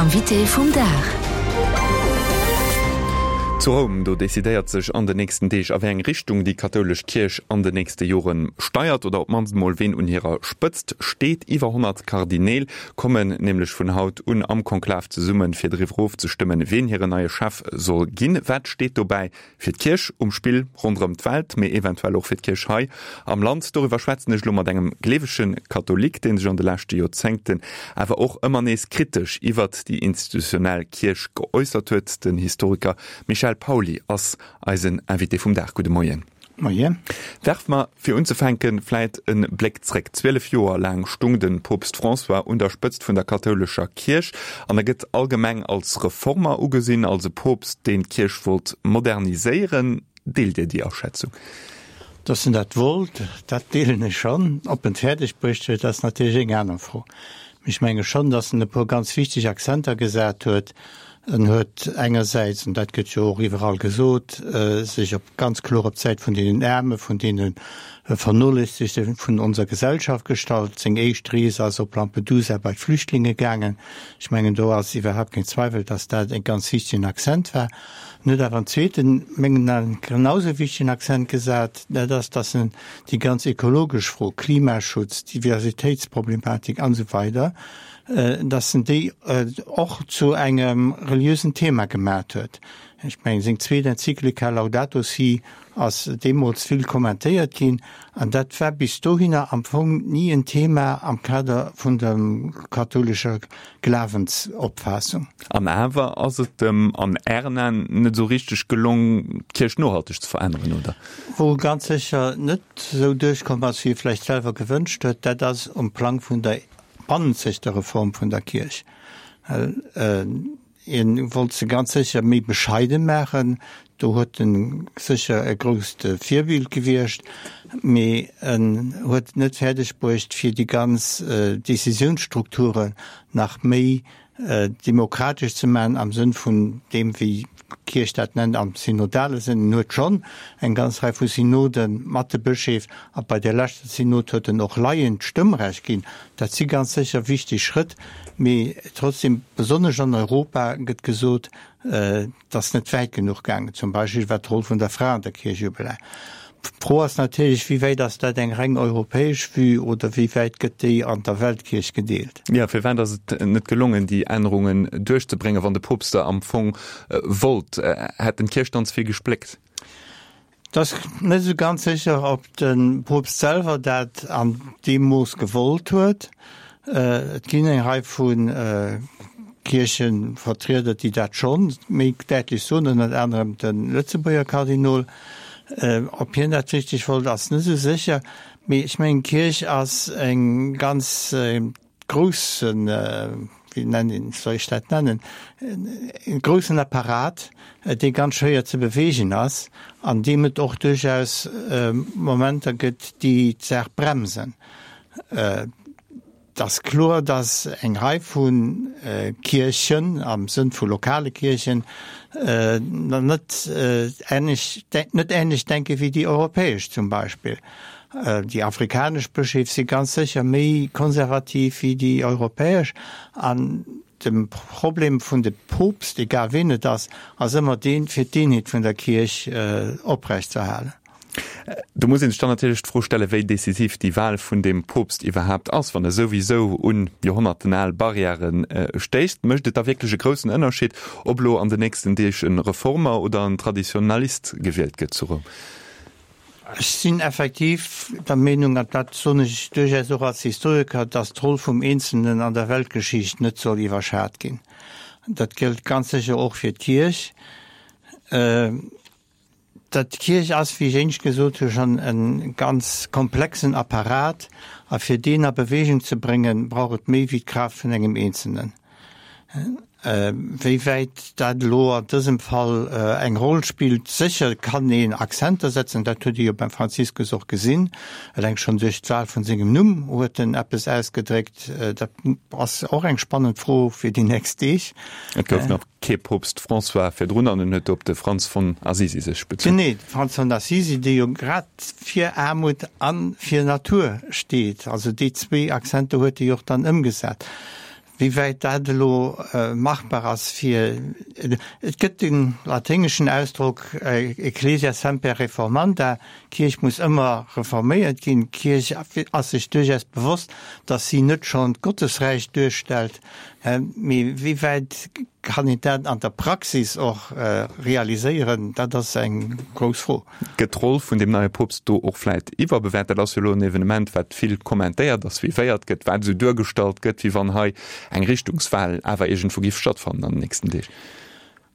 Invité vum Dag. Zu Roum, do decidéiert sech an den nächsten Deeg, a wéi eng Richtung déi kathoulesch Kierch an den nächste Jore steiert, oder op d'mannst emol ween un hirer Spëtzt steet. Iwwer 100 Kardineel kommen nämlech vun haut un am Konklav zesummen, fir driwwer ofzestëmmen, ween hiren neie Chef soll ginn. Wat steet dobäi Fir d'Kierch um Spill ronderëm d'Welt, mee eventuell och fir d'Kierch hei am Land. Doriwwer schwätzen ech elo mat engem gleewege Katholik, dee sech an de leschte Joerzéngten awer och ëmmer nees kritesch iwwert déi institutionell Kierch geäussert huet. Den Historiker Michel Pauly ass eisen Invité vum Dag. Gudde Moien. Moien. Werfe mer fir unzefänke vläit e Bléck zréck. 12 Joer laang stung de Poopst François un der Spëtzt vun der kathoulescher Kierch an e gëtt allgemeng als Reformer ugesinn, als e Poopst, deen d'Kierch wollt moderniséieren. Deelt Dir déi Aschätzung? Datt en dat wollt, dat deelen ech schonn. Ob en et fäerdeg bruecht huet, ass natierlech eng aner Fro. Mee ech menge schonn, datt en e puer ganz wichteg Akzenter gesat huet. En huet engersäits, an dat gëtt jo och iwwerall gesot, sech op ganz kloer op d'Säit vun deenen Aarme, vun deene Vernoléissegte vun onser Gesellschaft gestallt. Seng éischt Rees ass op Lampedusa bei d'Flüchtlinge gaangen. Ech mengen, do ass iwwerhaapt keen Zweiwel, dass dat e ganz wichtegen Accent war. En huet awer en zweeten, mengen Aen genausou wichtegen Accent gesat, dat ass, dass en déi ganz ekologesch Fro, Klimaschutz, Diversitéitsproblematik an esou weider, dass en déi och zu engem reliösen Thema gemat huet. Ech mengen, seng zweet Enzyklika Laudato si ass deemools vill kommentéiert ginn, an dat war bis dohinner am Fong ni en Thema am Kader vun der kathoulescher Glawensopfaassung. An awer ass et em an Ären Aen net esou richteg gelong, d'Kierch nohalteg ze veränneren, oder? Wou e ganz sécher net esou duerchkomm ass, wéi e vläicht selwer gewënscht huet, dat ass um Plang vun der bannenzegter Reform vun der Kierch. Hien wollt se ganz sécher méi bescheiden maachen, do huet en sécher e grousst Virbild gewiescht, mee en huet et net fäerdeg bruecht fir déi ganz Décisiounsstrukturen nach méi demokratesch ze maachen am Sënn vun deem wéi d'Kierch dat nennt am synodale Sënn. En huet schonn eng ganz Rei vu Synode mat de Bëscheef a bei der leschter Synod huet en och Laien d'Stëmmrecht ginn. Dat si ganz sécher wichteg Schrëtt, mee trotzdem, besonnesch an Europa gëtt gesot, et ass net wäit genuch gaangen, zum Beispill wat d'Roll vun der Fra an der Kierch ubelaangt. D'Fro ass natierlech, wéi wäit ass dat eng reng europäesch Vue oder wéi wäit gëtt déi an der Weltkierch gedeelt? Jo, firwat ass et net gelongen, déi Ännerungen duerchzebréngen, wann de Poopst der am Fong wollt? Hätt en d'Kierch dann ze vill gespléckt? Et ass net esou ganz sécher, ob de Poopst selwer dat an deem Mooss gewollt huet. Et ginn eng Rei vu Kierchevertrieder, déi dat scho méi däitlech soen, ënnert anerem de Lëtzebuerger Kardinol. Ob hien dat richteg wollt, ass net esou sécher. Mee ech mengen, d'Kierch ass eng ganz groussen, wéi nennen een, soll ech dat nennen, e groussen Apparat, dee ganz schwéier ze beweegen ass an deem et och duerchaus Momenter gëtt, déi d'Saach bremsen. Et ass kloer, datt eng Rei vu Kierchen, am Sënn vu lokale Kierchen, net änlech, net änlech denke wéi déi europäesch zum Beispill. Déi afrikanesch Bëscheef si ganz sécher méi konservativ wéi déi europäesch. An de Problem vun de Poopst, egal ween et ass, ass ëmmer deen, fir d'Eenheet vun der Kierch oprechtzeerhalen. Do muss ee sech dann natierlech d'Fro stellen, wéi decisiv déi Wahl vun deem Poopst iwwerhaapt ass, wann e souwisou un joerhonnertenal Barrièrë stéisst. Mécht et da wierklech e groussen Ënnerscheed, ob elo an den nächsten Deeg e Reformer oder en Traditionalist gewielt gëtt zu Roum? Ech sinn effektiv der Meenung, an dat soen ech duerchaus och als Historiker, datt d'Roll vum Eenzelnen an der Weltgeschicht net soll iwwerschat ginn. Dat gëllt ganz sécher och fir d'Kierch. Dat d'Kierch ass, wéi ech éinescht gesot hu schonn, e ganz komplexen Apparat, a fir deen a Bewegung ze bréngen, brauch et méi wéi d'Kraaft vun engem Eenzelnen. Wéi wäit dat elo an dësem Fall eng Roll spillt, sécher kann een Akzenter setzen, dat huet ee jo beim Franziskus och gesinn, eleng schonn duerch d'Wahl vun sengem Numm huet en eppes ausgedréckt. Dat ass och eng spannend Fro fir déi nächst Deeg. Et gouf nach kee Poopst François virdrun an en huet op de Franz von Assisi sech bezunn. Genee, de Franz von Assisi, dee jo grad fir Aarmut a fir Natur steet. Also déi zwéi Akzenter huet e jo och dann ëmgesat. Wéi wäit dat elo machbar ass fir, et gëtt de laténgeschen Ausdrock Ecclesia semper reformanda, d'Kierch muss ëmmer reforméiert ginn. D'Kierch ass sech duerchaus bewosst, datt si net schonn d'Gottesräich duerstellt, mee wéi wäit kann een dat an der Praxis och realiséieren, dat ass eng grouss Fro. Gëtt d'Roll vun deem neie Poopst do och vläit iwwerbewäert? Dat ass jo elo en Evenement, wat vill kommentéiert a suivéiert gëtt, wat esou duergestallt gëtt, wéi wann hei eng Richtungswal awer iergendwou giff stattfannen an den nächsten Deeg.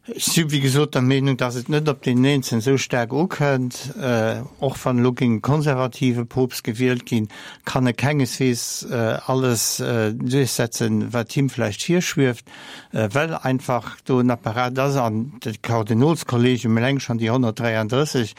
Ech si wéi gesot der Meenung, datt et net op deen Eenzelen esou staark ukënnt. Och wann elo géing e konservative Poopst gewielt ginn, kann e kengeswees alles duerchsetzen, wat him vläicht virschwieft. Well einfach do en Apparat ass, an de Kardinolskollegium eleng schonn déi 133,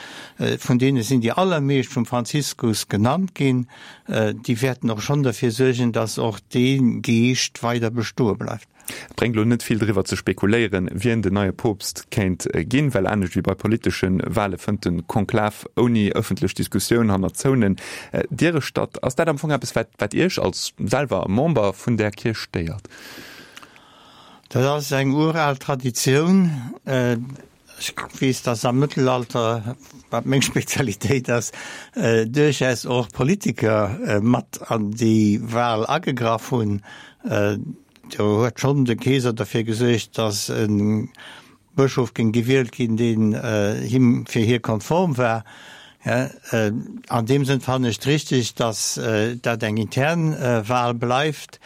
vun deene sinn déi allermeescht vum Franziskus genannt ginn, déi wäerten och schonn derfir suergen, datt och dee Geescht weider bestoe bleift. Et bréngt elo net vill driwwer ze spekuléieren, wien den neie Poopst kéint ginn, well anescht wéi bei politesche Wale fënnt de Konklav ouni ëffentlech Diskussioun hanner zouenen Diere statt. Ass dat am Fong eppes, wat Iech als selwer Member vun där Kierch stéiert? Dat ass eng ural Traditioun. Ech weess, datt am Mëttelalter, wat meng Spezialitéit ass, duerchaus och Politiker mat an déi Wal agegraff hunn. Do huet schonn de Keeser derfir gesuergt, datt e Bëschof géing gewielt ginn, deen him fir hie konform war. An deem Sënn fannen ech et richteg, datt dat eng intern Wal bleift.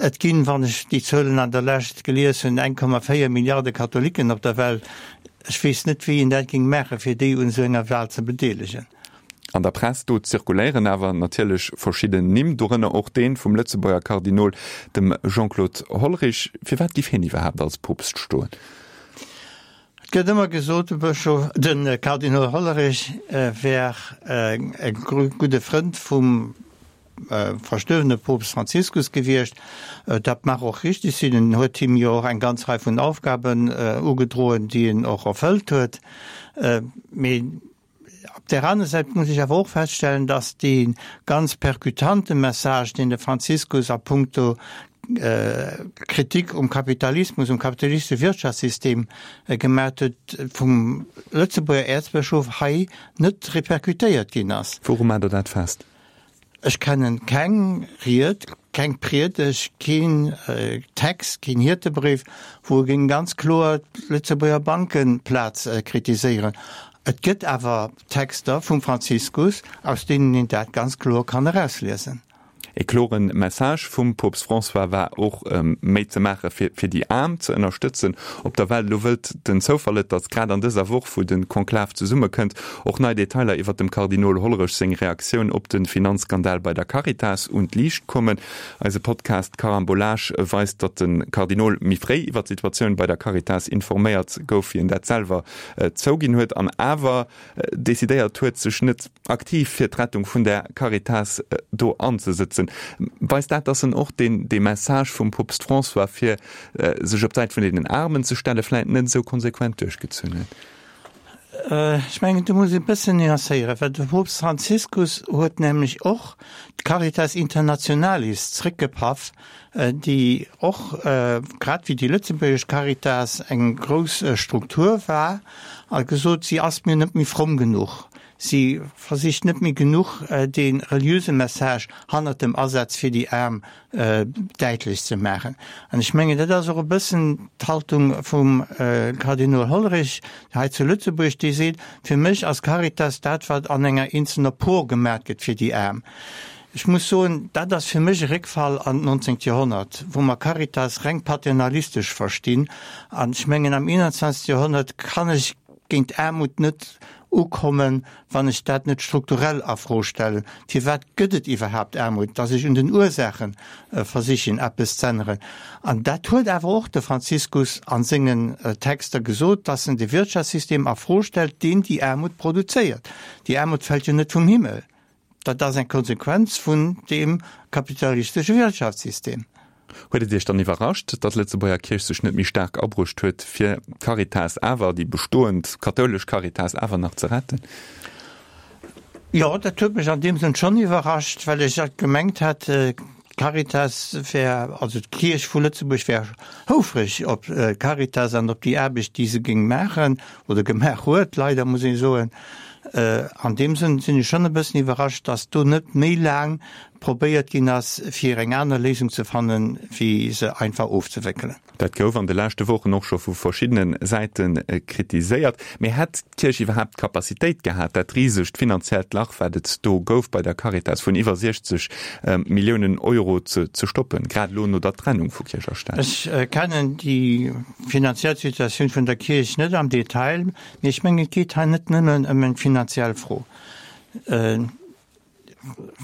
Et ginn, wann ech déi Zuelen an der Lescht gelies hunn, 1,4 Milliarde Katholiken op der Welt. Ech weess net, wéi een dat géing maachen, fir déi un esou enger Wal ze bedeelegen. An der Press do zirkuléieren awer natierlech verschidden Nimm, dorënner och dee vum Lëtzebuerger Kardinol, dem Jean-Claude Hollerich. Firwat giff hien iwwerhaapt als Poopst stoen? Et gëtt ëmmer gesot, de Bëschof, de Kardinol Hollerich wär e gudde Frënd vum verstuerwene Poopst Franziskus gewiescht. Dat mag och richteg sinn, en huet him jo och eng ganz Rei vun Aufgaben ugedroen, déi en och erfëllt huet. Mee Op där aner Säit muss ech awer och feststellen, dass dee ganz perkutante Message, deen de Franziskus a puncto Kritik um Kapitalismus, um kapitalistesche Wirtschaftssystem gemat huet, vum Lëtzebuerger Äerzbëschof hei net repercutéiert ginn ass. Wouru maacht Der dat fest? Ech kennen keng Ried, keng Priedegt, keen Text, keen Hiertebréif, wou e géing ganz kloer d'Lëtzebuerger Bankeplaz kritiséieren. Et gëtt awer Texter vum Franziskus, aus deenen een dat ganz kloer kann erausliesen. E kloren Message vum Poopst François war och, méi ze maache fir fir déi Aarm ze ënnerstëtzen op der Welt. Elo wëllt den Zoufall et, datt grad an dëser Woch, wou de Konklav zesummekënnt, och nei Detailer iwwer dem Kardinol Hollerech seng Reaktioun op de Finanzskandal bei der Caritas un d'Liicht kommen. Eise Podcast Carambolage weist, datt de Kardinol méi fréi iwwer d'Situatioun bei der Caritas informéiert gouf, wéi en dat selwer zouginn huet, an awer decidéiert huet, sech net aktiv fir d'Rettung vun der Caritas do anzesëtzen. Weist dat, datt en och deen dee Message vum Poopst François, fir sech op d'Säit vun deenen Aarmen ze stellen, vläit net esou konsequent duerchgezunn huet? Ech mengen, do muss ee bëssen nuancéieren, well de Poopst Franziskus huet nämlech och d'Caritas Internationalis zréckgepaff, déi och, grad wéi déi lëtzebuergesch Caritas, eng grouss Struktur war, a gesot, si ass mir net méi fromm genuch, si versicht net méi genuch, dee reliöse Message hannert dem Asaz fir déi Aarm däitlech ze maachen. An ech mengen, dat ass och e bëssen d'Haltung vum Kardinol Hollerich hei zu Lëtzebuerg, dee seet, Fir mech ass Caritas dat, wat an enger eenzelner Por gemaat gëtt fir déi Aarm. Ech muss soen, dat ass fir mech e Réckfall an d'nonzéngt Joerhonnert, wou mer Caritas reng paternalistesch verstinn. An ech mengen, am 21. Joerhonnert kann ech géint Aarmut net ukommen, wann ech dat net strukturell a Fro stellen. Firwat gëtt et iwwerhaapt Aarmut? Dass ech un den Ursaache versichen, eppes z'änneren. An dat huet awer och de Franziskus a sengen Texter gesot, dass en de Wirtschaftssystem a Fro stellt, deen déi Aarmut produzéiert. Déi Aarmut fält jo net vum Himmel. Dat ass eng Konsequenz vun deem kapitalistesche Wirtschaftssystem. Huet et Iech dann iwwerrascht, datt d'Lëtzebuerger Kierch sech net méi staark abruecht huet, fir d'Caritas awer, déi bestoend kathoulesch Caritas awer nach ze retten? Jo, dat huet mech an deem Sënn schonn iwwerrascht, well ech gemengt hat. D'Caritas wär, also d'Kierch vu Lëtzebuerg wär houfreg op d'Caritas an op déi Aarbecht, déi se géing maachen oder gemaach huet, leider muss ee soen. An deem Sënn sinn ech schonn e bëssen iwwerrascht, datt do net méi laang probéiert ginn ass, fir eng aner Léisung ze fannen, wéi se einfach ofzewéckelen. Dat gouf an de leschte Wochen och scho vu verschiddene Säite kritiséiert. Mee hätt d'Kierch iwwerhaapt d'Capacitéit gehat, dat risegt finanziellt Lach, wat et do gouf bei der Caritas vun iwwer 60 Milliounen Euro ze stoppen, grad elo no der Trennung vu Kierch a Staat? Ech kennen déi finanziell Situatioun vun der Kierch net am Detail, mee ech mengen, et geet hei net nëmmen ëm eng finanziell Fro.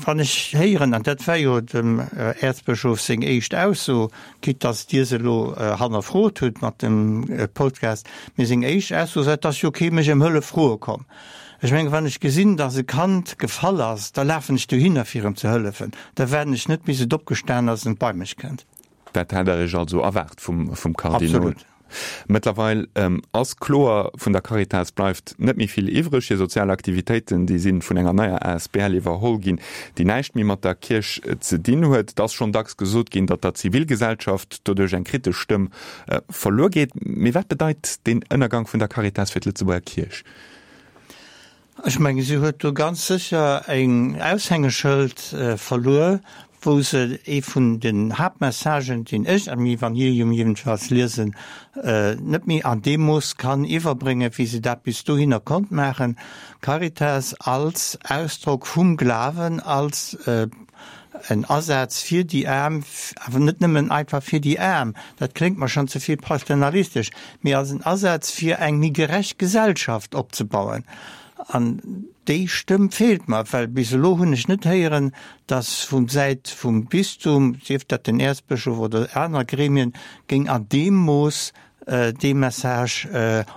Wann ech héieren, an dat war jo dem Äerzbëschof seng éischt Ausso, quitte datt Dir se elo hannerfrot hutt mat dem Podcast, mee seng éischt Ausso war, et ass jo kee mech ëm Hëllef froe komm. Ech mengen, wann ech gesinn, datt e Kand gefall ass, da lafen ech dohinner fir em ze hëllefen. Da waarden ech net bis et opgestan ass an bei mech kënnt. Dat hätt Der Iech also erwaart vum Kardinol? Absolut. Mëttlerweil ass kloer, vun der Caritas bleift net méi vill iwwreg. Hir sozial Aktivitéiten, déi si vun enger neier asbl iwwerholl ginn, déi näischt méi mat der Kierch ze dinn huet. Et ass schonn dacks gesot ginn, datt der Zivilgesellschaft doduerch eng kritesch Stëmm verluer geet. Mee wat bedeit deen Ënnergang vun der Caritas fir d'Lëtzebuerger Kierch? Ech menge si huet do ganz sécher eng Aushängeschëld verluer, wou se ee vun den Haaptmessagen, deen ech am Evangelium jedenfalls liesen, net méi an deem Mooss kann iwwerbréngen, wéi se dat bis dohinner konnt maachen. Caritas als Ausdrock vum Glawen, als en Asaz fir déi Aarm, awer net nëmmen einfach fir déi Aarm, dat kléngt mer schonn ze vill paternalistesch, mee als en Asaz fir eng méi gerecht Gesellschaft opzebauen. An déi Stëmm feelt mer, well bis elo hunn ech net héieren, datt vu Säit vum Bistum, sief dat den Äerzbëschof oder aner Gremien, géing an deem Mooss dee Message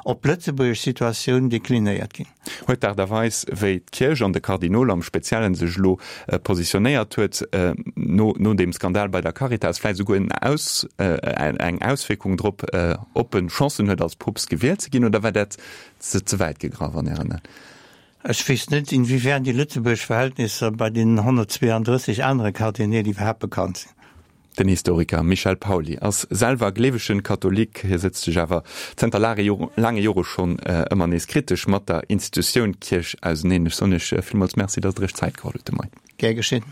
op d'lëtzebuergesch Situatioun deklinéiert ginn. Huet d'Aart a Weis, wéi d'Kierch an de Kardinol am Speziellen sech elo positionéiert huet, no no deem Skandal bei der Caritas, vläicht esouguer en Aus eng Auswierkung drop, ob en Chancen huet, als Poopst gewielt ze ginn, oder war dat ze ze wäit gegraff an Ären Aen? Ech weess net, inwiefern déi lëtzebuergesch Verhältnisser bei deenen 132 anere Kardineel iwwerhaapt bekannt sinn. Den Historiker Michel Pauly ass selwer gleewegen Katholik. Hie sëtzt sech awer zënter laange Jore schonn ëmmer nees kritesch mat der Institutioun Kierch auseneen. Ech soen Iech villmools Merci, datt Der Iech Zäit geholl hutt de Moien. Gär geschinn.